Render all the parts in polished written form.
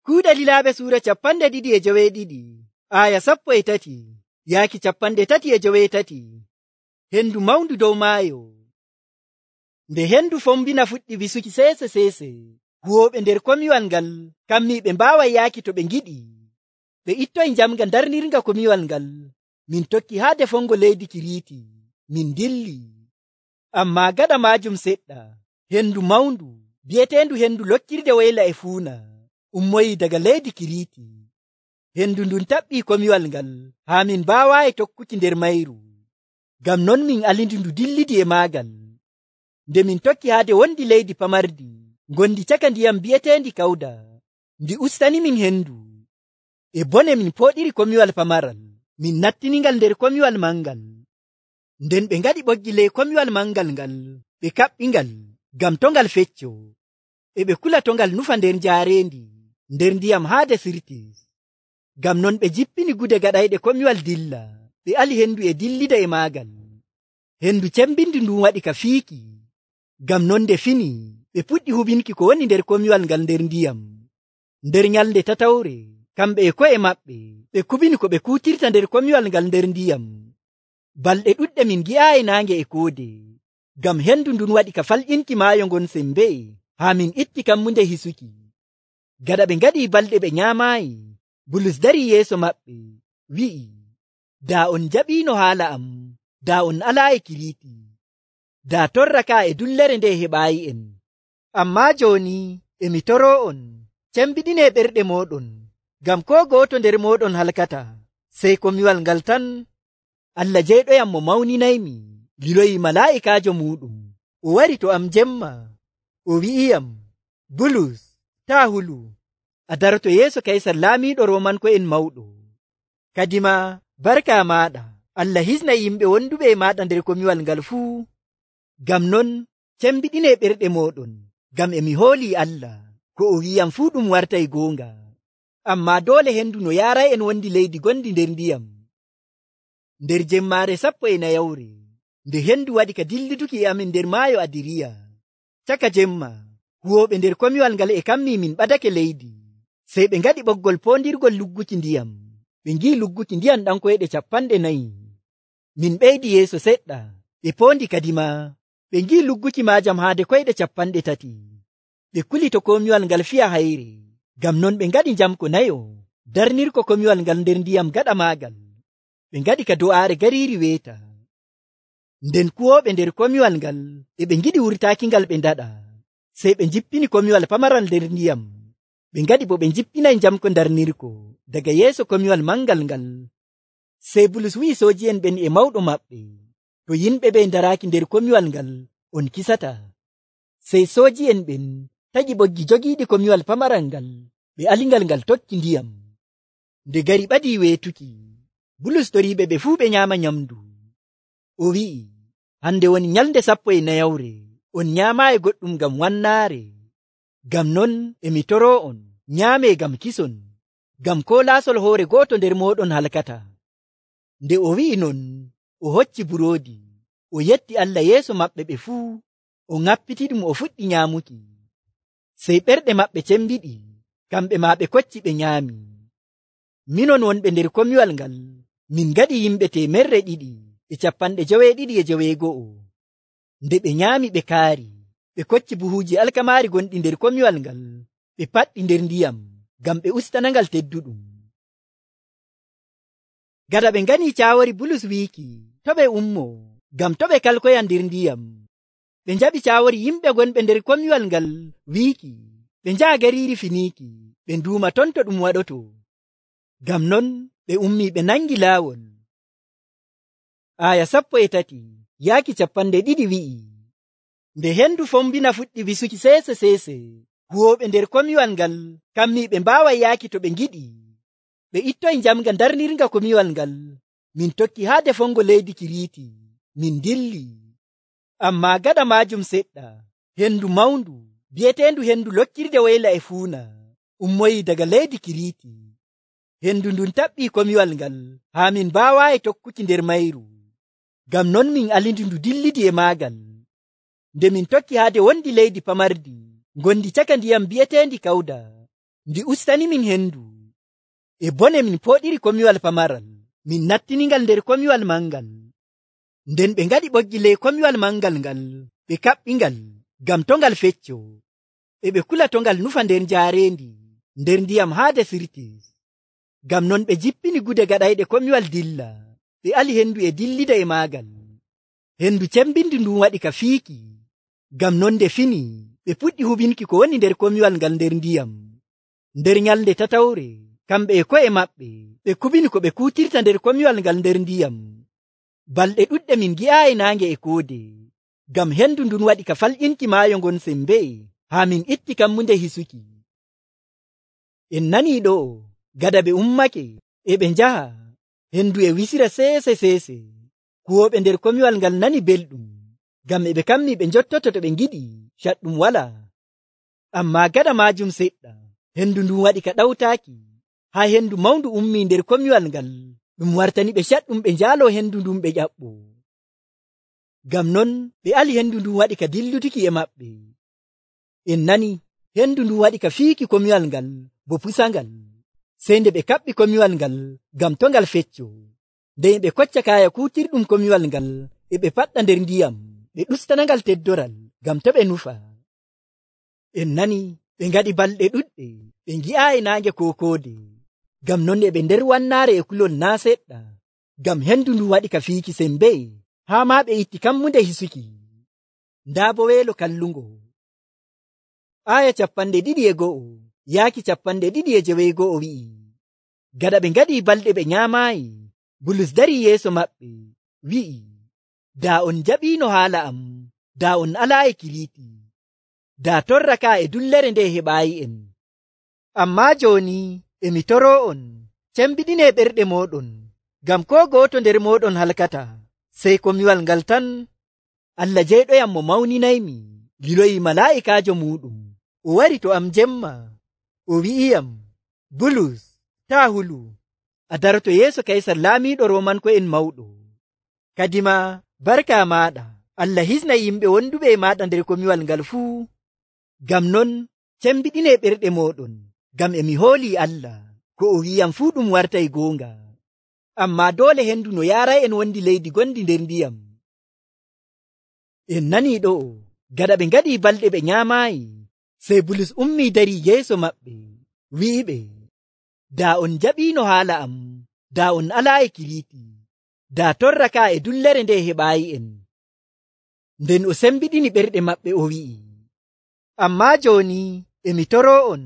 Kuuɗe Lilaaɓe suura 2:13 aya 13 yaaki 3:13. Hendu mawndu dow maayo. Nde hendu fombina fuɗɗi wisuki seese, huwooɓe nder komiwal ngal kammi ɓe mbaaway yaaki to ɓe ngiɗi. Ɓe ittoyi njamga darnirga komiwal ngal, min tokki haa defongo leydi Kiriiti, min dilli. Ammaa gaɗa maajum seɗɗa, hendu mawndu bi'eteendu hendu lokkirde woyla e fuuna ummoyi daga leydi Kiriiti. Hendu ndun taɓɓii komiwal ngal haa min mbaawaayi tokkuki nder mayru. Ngam non min alindi ndu dillidi e maagal. Nde min tokki haade wondi leydi pamardi ngondi caka ndiyam bi'eteendi Kawda, ndi ustani min hendu. E bone min pooɗiri komiwal pamaral, min nattiningal nder komiwal mangal. Nden ɓe ngaɗi ɓoggi ley komiwal mangal ngal, ɓe kaɓɓingal ngam to ngal fecco. E ɓe kula to ngal nufa nder jaareendi, nder ndiyam haade Sirtis. Ngam non ɓe jippini gude gaɗayɗe komiwal dilla, ɓe ali hendu e dillida e maagal. Hendu cembindi ndun waɗi ka fiiki. Ngam non nde fini, ɓe puɗɗi hubinki ko woni nder komiwal ngal nder ndiyam. Nder nyalnde tatawre, kamɓe e ko'e maɓɓe, ɓe kubini ko ɓe kuutirta nder komiwal ngal nder ndiyam. Balɗe ɗuɗɗe min gi'aayi naange e koode, ngam hendu ndun waɗi ka falƴinki maayo ngon sembe, haa min itti kammunde hisuki. Gaɗa ɓe ngaɗi balɗe ɓe nyaamaayi, Bulus darii yeeso maɓɓe, wi'i, daa on jaɓiino haala am, daa on alaayi Kiriiti, daa torraka e dullere nde heɓaayi en. Ammaa jooni e mi toroo on, cembiɗinee ɓerɗe mooɗon, ngam koo gooto nder mooɗon halkata, sey komiwal ngal tan. Allah jeyɗoyam mo mawninaymi liloyi malaa'ikaajo muuɗum, o wari to am jemma, o wi'iyam, Bulus, taa hulu, a daroto yeeso Kaysar laamiiɗo Roomanko'en mawɗo. Kadima barka maaɗa, Allah hisna yimɓe wonduɓe e maaɗa nder komiwal ngal fuu. Ngam non cembiɗinee ɓerɗe mooɗon, ngam e mi hoolii Allah, ko o wi'iyam fuu ɗum wartay goonga. Ammaa doole hendu no yaaray en wondi leydi gondi nder ndiyam. Nder jemmaare 14, nde hendu waɗi ka dilliduki e amin nder maayo Adiriya, caka jemma, huwooɓe nder komiwal ngal e kammi min ɓadake leydi. Sey ɓe ngaɗi ɓoggol poondirgol lugguki ndiyam, ɓe ngi'i lugguki ndiyam ɗankoyɗe 40. Min ɓeydi yeeso seɗɗa, ɓe poondi kadima, ɓe ngi'i lugguki maajam haade koyɗe 30. Ɓe kuli to komiwal ngal fiya hayre, ngam non ɓe ngaɗi njamko nayo, darnirko komiwal ngal nder ndiyam gaɗa maagal. Ɓe ngaɗi ka do'aare gariiri weeta. Nden kuwooɓe nder komiwal ngal e ɓe ngiɗi wurtaaki ngal ɓe ndaɗa, sey ɓe jippini komiwal pamaral nder ndiyam. Ɓe ngaɗi bo ɓe jippinay njamko darnirko daga yeeso komiwal mangal ngal. Sey Bulus wi'i sooji'en ɓen e mawɗo maɓɓe, to yimɓe ɓe ndaraaki nder komiwal ngal, on kisata. Sey sooji'en ɓen taƴi ɓoggi jogiiɗi komiwal pamaral ngal, ɓe alingal ngal tokki ndiyam. Nde gari ɓadii weetuki, Bulus toriiɓe ɓe fuu ɓe nyaama nyamdu. O wi'i, hande woni nyalnde 14, on nyaamaayi goɗɗum ngam wannaare. Ngam non e mi toroo on, nyaamee ngam kison, ngam koo laasol hoore gooto nder mooɗon halkata. Nde o wi'i non, o hocci buroodi, o yetti Allah yeeso maɓɓe ɓe fuu, o ŋappitiɗum o fuɗɗi nyaamuki. Sey ɓerɗe maɓɓe cembiɗi, kamɓe maa ɓe kocci ɓe nyaami. Minon wonɓe nder komiwal ngal, min ngaɗi yimɓe 290. Nde ɓe nyaami ɓe kaari, ɓe kocci buhuuji alkamaari gonɗi nder komiwal ngal, ɓe paɗɗi nder ndiyam, ngam ɓe ustanangal tedduɗum. Gada ɓe ngani caawori Bulus wiiki, to ɓe ummo, ngam to ɓe kalkoya nder ndiyam. Ɓe njaɓi caawori yimɓe gonɓe nder komiwal ngal wiiki, ɓe njaha gariiri Finiiki, ɓe nduuma ton to ɗum waɗoto. Ngam non ɓe ummi ɓe nangi laawol. Aya 13 yaaki 20 wi'i, nde hendu fombina fuɗɗi wisuki seese, huwooɓe nder komiwal ngal kammi ɓe mbaaway yaaki to ɓe ngiɗi. Ɓe ittoyi njamga darnirga komiwal ngal, min tokki haa defongo leydi Kiriiti, min dilli. Ammaa gaɗa maajum seɗɗa, hendu mawndu bi'eteendu hendu lokkirde woyla e fuuna ummoyi daga leydi Kiriiti. Hendu ndun taɓɓii komiwal ngal haa min mbaawaayi tokkuki nder mayru. Ngam non min alindi ndu dillidi e maagal. Nde min tokki haade wondi leydi pamardi ngondi caka ndiyam bi'eteendi Kawda, ndi ustani min hendu e bone min poɗiri komiwal pamaral min nattiningal nder komiwal mangal. Nden ɓe ngaɗi ɓoggi ley komiwal mangal ngal ɓe kaɓɓingal ngam to ngal fecco, e ɓe kula to ngal nufa nder jaarendi nder ndiyam haa desirtis. Ngam non ɓe jippini gude gaɗayɗe komiwal dilla, ɓe ali hendu e dillida e maagal. Hendu cembindi ndun waɗi ka fiiki, ngam non nde fini ɓe puɗɗi hubinki ko woni nder komiwal ngal nder ndiyam. Nder nyalnde tatawre kamɓe e ko'e maɓɓe ɓe kubini ko ɓe kuutirta nder komiwal ngal nder ndiyam. Balɗe ɗuɗɗe min gi'aayi naange e koode, ngam hendu ndun waɗi ka falƴinki maayo ngon sembe haa min itti kammunde hisuki. En nanii ɗo gada ɓe ummake e ɓe njaha, hendu e wisira seese. Kuwooɓe nder komiwal ngal nani belɗum, ngam e ɓe kammi ɓe njottoto to ɓe ngiɗi caɗɗum wala. Amma gada maajum seɗɗa hendu ndun waɗi ka ɗawtaaki, haa hendu mawndu ummi nder komiwal ngal, ɗum wartani ɓe caɗɗum ɓe njaalo hendu ndun ɓe ƴaɓɓo. Ngam non ɓe ali hendu ndun waɗi ka dillutuki e maɓɓe. En nani hendu ndun waɗi ka fiiki komiwal ngal bo pusangal, sey nde ɓe kaɓɓi komiwal ngal ngam to ngal fecco. Nden ɓe kocca kaaya kuutirɗum komiwal ngal e ɓe paɗɗa nder ndiyam, ɓe ɗustanangal teddoral ngam to ɓe nufa. En nani ɓe ngaɗi balɗe ɗuɗɗe ɓe ngi'aayi naange ko koode, ngam non e ɓe nder wannaare e kulol naa seɗɗa, ngam hendu ndun waɗi ka fiiki sembe, haa maa ɓe itti kammunde hisuki. Ndaa bo weelo kallungo. Aya 21 yaaki 22 wi'i, gada ɓe ngaɗi balɗe ɓe nyaamaayi, Bulus darii yeeso maɓɓe wi'i, daa on jaɓiino haala am, daa on alaayi Kiliiti, daa torra ka e dullere nde heɓaayi'en. Ammaa jooni e mi toroo'on, cembiɗinee ɓerɗe mooɗon, ngam koo gooto nder mooɗon halkata, sey komiwal ngal tan. Allah jeyɗoyam mo mawninaymi liloyi malaa'ikaajo muuɗum, o wari to am jemma, o wi'iyam, Bulus, taa hulu, a daroto yeeso Kaysar laamiiɗo Roomanko'en mawɗo. Kadima barka maaɗa Allah hisna yimɓe wonduɓe e maaɗa nder komiwal ngal fuu. Ngam non cembiɗinee ɓerɗe mooɗon, ngam e mi hoolii Allah, ko o wi'am fuu ɗum wartay goonga. Ammaa doole hendu no yaaray'en wondi leydi gondi nder ndiyam. En nanii ɗo gada ɓe ngaɗi balɗe ɓe nyaamaayi, sey Bulus ummii darii yeeso maɓɓe wi'iɓe, daa on jaɓiino haala am, daa on alaayi Kiliiti, daa torra ka e dullere nde heɓaayi'en. Nden o sembiɗini ɓerɗe maɓɓe o wi'i, ammaa jooni e mi toroo'on,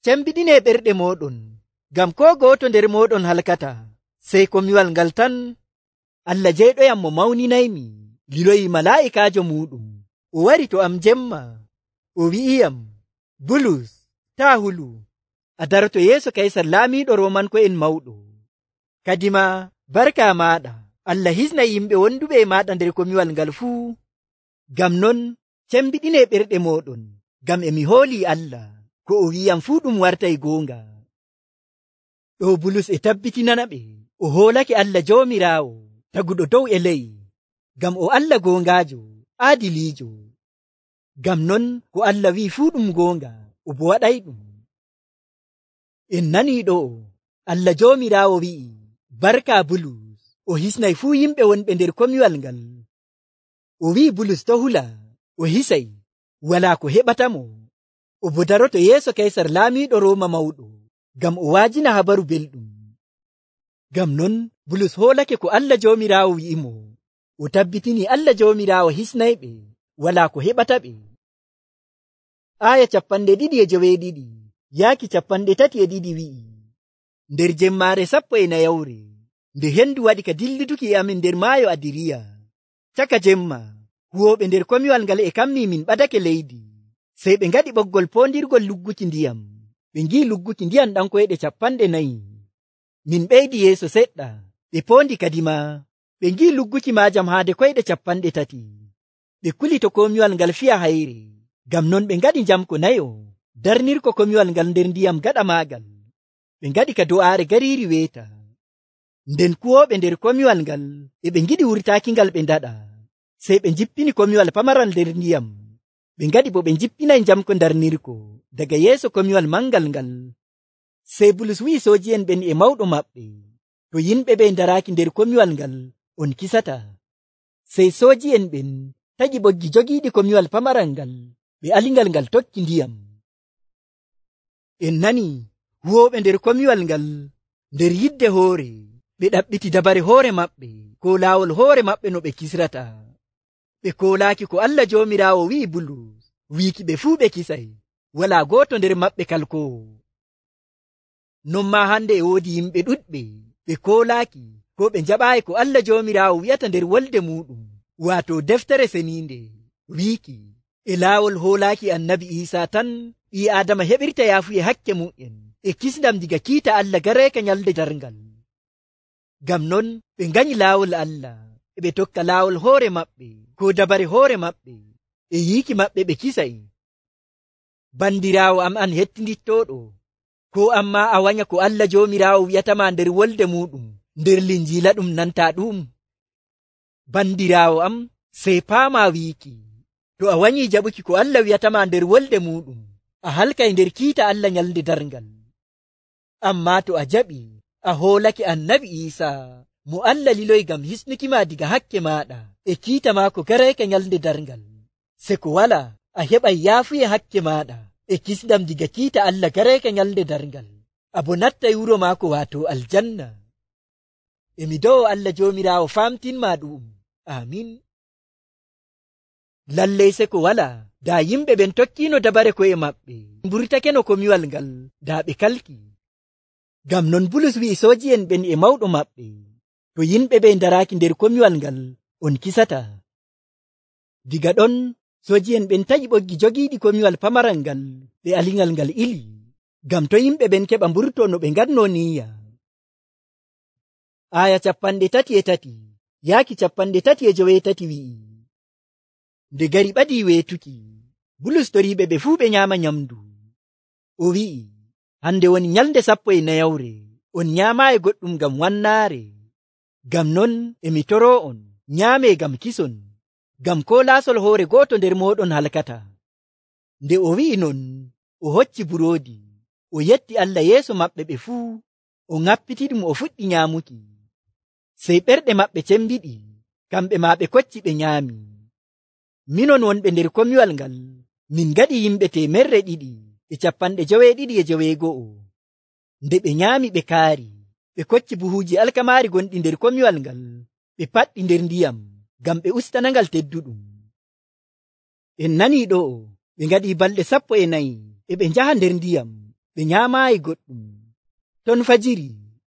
cembiɗinee ɓerɗe mooɗon, ngam koo gooto nder mooɗon halkata, sey komiwal ngal tan. Allah jeyɗoyam mo mawninaymi liloyi malaa'ikaajo muuɗum, o wari to am jemma, o wi'iyam, Bulus, taa hulu, a daroto yeeso Kaysar laamiiɗo Roomanko'en mawɗo. Kadima barka maaɗa Allah hisna yimɓe wonduɓe e maaɗa nder komiwal ngal fuu. Ngam non cembiɗinee ɓerɗe mooɗon, ngam e mi hoolii Allah, ko o wi'am fuu ɗum wartay goonga. Ɗo Bulus e tabbitinana ɓe o hoolake Allah Joomiraawo taguɗo dow e ley, ngam o Allah goongaajo, aadiliijo. Ngam non ko Allah wi'i fuu ɗum goonga, o bo waɗay ɗum. En nanii ɗo Allah Joomiraawo wi'i, barka Bulus, o hisnay fuu yimɓe wonɓe nder komiwal ngal. O wi'i Bulus to hula, o hisay, walaa ko heɓatamo, o bo daroto yeeso Kaysar laamiiɗo Rooma mawɗo, ngam o waajina habaru belɗum. Ngam non Bulus hoolake ko Allah Joomiraawo wi'imo, o tabbitini Allah Joomiraawo hisnayɓe, walaa ko heɓata ɓe. Aya 22 yaaki 32 wi'i, nder jemmaare 14 nde hendu waɗi ka dillituki e amin nder maayo Adiriya, caka jemma huwooɓe nder komiwal ngal e kammi min ɓadake leydi, sey ɓe ngaɗi ɓoggol poondirgol lugguki ndiyam, ɓe ngi'i lugguki ndiyam ɗankoyɗe 40. Min ɓeydi yeeso seɗɗa, ɓe poondi kadima, ɓe ngi'i lugguki maajam haade koyɗe 30. Ɓe kuli to komiwal ngal fiya hayre, ngam non ɓe ngaɗi jamko nayo darnirko komiwal ngal nder ndiyam gaɗa maagal. Ɓe ngaɗi ka do'aare gariiri weeta. Nden kuwooɓe nder komiwal ngal e ɓe ngiɗi wurtaaki ngal ɓe ndaɗa, sey ɓe jippini komiwal pamaral nder ndiyam. Ɓe ngaɗi bo ɓe jippinay jamko darnirko daga yeeso komiwal mangal ngal Sey Bulus wi'i sooji'en ɓen e mawɗo maɓɓe, to yimɓe ɓe daraaki nder komiwal ngal on kisata. Sey sooji'en ɓen taƴi ɓoggi jogiiɗi komiwal pamaral ngal, ɓe alingal ngal tokki ndiyam. En nani huwooɓe nder komiwal ngal nder yidde hoore, ɓe ɗaɓɓiti dabare hoore maɓɓe ko laawol hoore maɓɓe no ɓe kisrata. Ɓe koolaaki ko Allah Joomiraawo wi'i Bulus wiiki ɓe fuu ɓe kisay, walaa gooto nder maɓɓe kalkoowo. Non maa hande e woodi yimɓe ɗuɗɓe ɓe koolaaki ko ɓe njaɓaayi ko Allah Joomiraawo wi'ata nder wolde muɗum, waato deftere seniinde wiiki e laawol hoolaaki annabi Iisaa tan ɓii Aadama heɓirta yaafuye hakke mu'en e kisndam diga kiita Allah gareeka nyalde darngal. Ngam non ɓe nganyi laawol Allah e ɓe tokka laawol hoore maɓɓe ko dabare hoore maɓɓe e yiiki maɓɓe ɓe kisay. Bandiraawo am an hettindittooɗo, ko amma a wanya ko Allah Joomiraawo wi'atama nder wolde muɗum nder Linjiila ɗum nanta ɗum? Bandiraawo am, sey paama wiiki to a wanyi jaɓuki ko Allah wi'atama nder wolde muɗum, a halkay nder kiita Allah nyalde darngal. Amma to a jaɓi a hoolake annabi Iisaa mo Allah liloy ngam hisnukima diga hakke maɗa e kiita maako gareeka nyalde darngal, se ko wala a heɓay yaafuye hakke maɗa e kisndam diga kiita Allah gareeka nyalde darngal, abo nattay wuro maako waato aljanna. Emi do'o Allah Joomiraawo famtinma ɗum. Amin. Lallay se ko wala da yimɓe ɓen tokkino dabare ko'e maɓɓe mburtake no komiwal ngal da ɓe kalki. Ngam non Bulus wi'i sooji'en ɓen e mawɗo maɓɓe, to yimɓe ɓe daraaki nder komiwal ngal on kisata. Diga ɗon sooji'en ɓen taƴi ɓoggi jogiiɗi komiwal pamaral ngal ɓe alingal ngal ili, ngam to yimɓe ɓen keɓa mburto no ɓe ngadno niyya. Aya 33 yaaki 33 wi'i, nde gari ɓadii weetuki, Bulus toriiɓe ɓe fuu ɓe nyaama nyamdu. O wi'i, hande woni nyalnde 14 on nyaamaayi goɗɗum ngam wannaare. Ngam non emi toroo on nyaamee ngam kison, ngam ko laasol hoore gooto nder mooɗon halkata. Nde o wi'i non, o hocci buroodi, o yetti Allah yeeso maɓɓe ɓe fuu, o ŋappitiɗum o fuɗɗi nyaamuki. Sey ɓerɗe maɓɓe cembiɗi, kamɓe maa ɓe kocci ɓe nyaami. Minon wonɓe nder komiwal ngal, min ngaɗi yimɓe 290. Nde ɓe nyaami ɓe kaari, ɓe kocci buhuuji alkamaari gonɗi nder komiwal ngal, ɓe paɗɗi nder ndiyam, ngam ɓe ustanangal tedduɗum. En nanii ɗo, ɓe ngaɗi balɗe 14 e ɓe njaha nder ndiyam, ɓe nyaamaayi goɗɗum. Ton fajiri,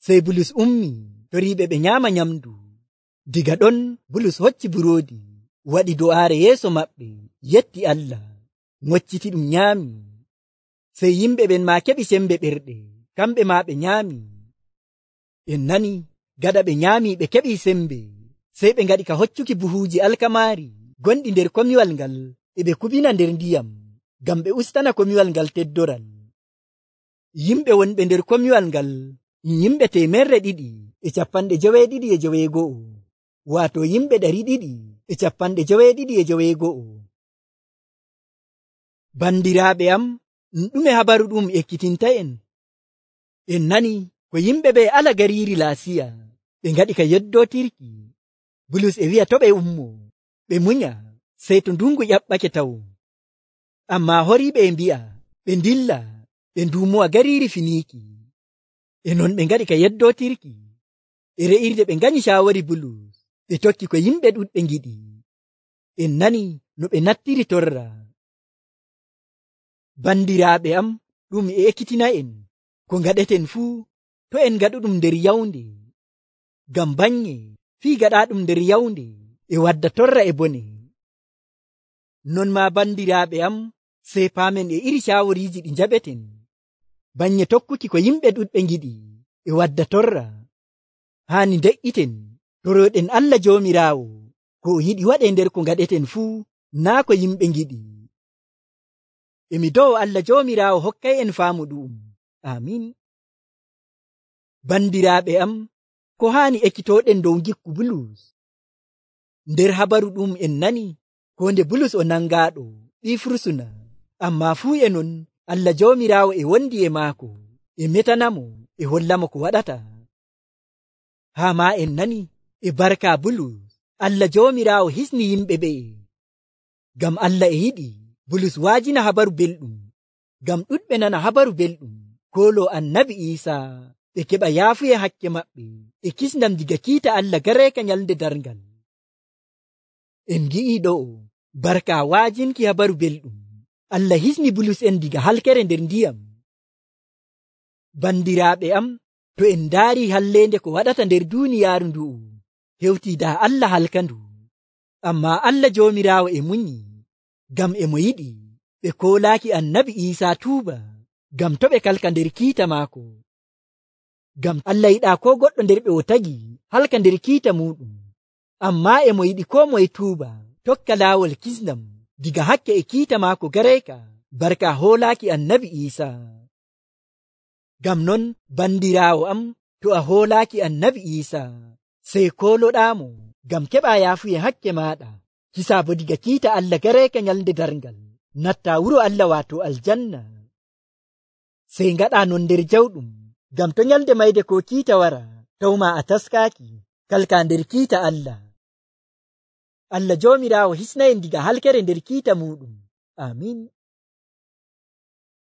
sey Bulus ummi, toriiɓe ɓe nyaama nyamdu. Diga ɗon Bulus hocci buroodi, waɗi do'aare yeeso maɓɓe, yetti Allah, ngocciti ɗum nyaami. Sey yimɓe ɓen maa keɓi sembe ɓerɗe, kamɓe maa ɓe nyaami. En nani, gaɗa ɓe nyaami ɓe keɓi sembe, sey ɓe ngaɗi ka hoccuki buhuuji alkamaari gonɗi nder komiwal ngal e ɓe kubina nder ndiyam, ngam ɓe ustana komiwal ngal teddoral. Yimɓe wonɓe nder komiwal ngal yimɓe 291, waato yimɓe 291. Bandiraaɓe am, ɗume habaru ɗum ekkitinta en? En nani ko yimɓe ɓe ala gariiri Laasiya ɓe ngaɗi ka yeddotirki. Bulus e wi'a to ɓe ummo ɓe munya sey to ndungu ƴaɓɓake taw. Amma horiiɓe e mbi'a ɓe ndilla ɓe nduumowa gariiri Finiiki. E non ɓe ngaɗi ka yeddotirki. E re'irde ɓe nganyi shaawari Bulus, ɓe tokki ko yimɓe ɗuɗɓe ngiɗi. En nani no ɓe nattiri torra. Bandiraaɓe am, ɗum e ekkitina en ko ngaɗeten fuu to en ngaɗuɗum nder yawnde, ngam banye fii gaɗaɗum nder yawnde e wadda torra e bone. Non ma bandiraaɓe am, sey paamen e iri shaawariiji ɗi njaɓeten, banye tokkuki ko yimɓe ɗuɗɓe ngiɗi e wadda torra. Haani de'iten toroɗen Allah Joomiraawo ko o yiɗi waɗe nder ko ngaɗeten fuu, naa ko yimɓe ngiɗi. Emi dow Allah Joomiraawo hokkay en faamu ɗum. Amin. Bandiraaɓe am, ko haani ekkitoɗen dow gikku Bulus? Nder habaru ɗum en nani ko nde Bulus o nangaaɗo ɓii fursuna, amma fuu e non Allah Joomiraawo e wondi e maako, e metanamo e hollamo ko waɗata. Haa ma en nani e barka Bulus Allah joomiraawo hisni yimɓe ɓe'e. Ngam Allah e yiɗi Bulus waajina habaru belɗum, ngam ɗuɗɓe nana habaru belɗum koolo annabi Iisaa ɓe keɓa yaafuye hakke maɓɓe e kisndam diga kiita Allah gareeka nyalnde darngal. En gi'i ɗo'o barka waajinki habaru belɗum Allah hisni Bulus en diga halkere nder ndiyam. Bandiraaɓe am, to en ndaari hallende ko waɗata nder duuniyaaru ndu'u, hewti daa Allah halkandu. Amma Allah joomiraawo e munyi, ngam e mo yiɗi ɓe koolaaki annabi Iisaa tuuba, ngam to ɓe kalka nder kiita maako. Ngam Allah yiɗaa ko goɗɗo nder ɓe o tagi halka nder kiita muɗum, amma e mo yiɗi koo moye tuuba tokka laawol kisndam diga hakke e kiita maako gareeka barka hoolaaki annabi Iisaa. Ngam non bandiraawo am, to a hoolaaki annabi Iisaa sey kooloɗaamo ngam keɓa yaafuye hakke maaɗa, hisaa bo diga kiita Allah gareeka nyalnde darngal natta wuro Allah waato aljanna. Sey ngaɗa non nder jawɗum, ngam to nyalde mayde ko kiita wara tawma a taskaaki kalka nder kiita Allah. Allah joomiraawo hisnayen diga halkere nder kiita muɗum. Amin.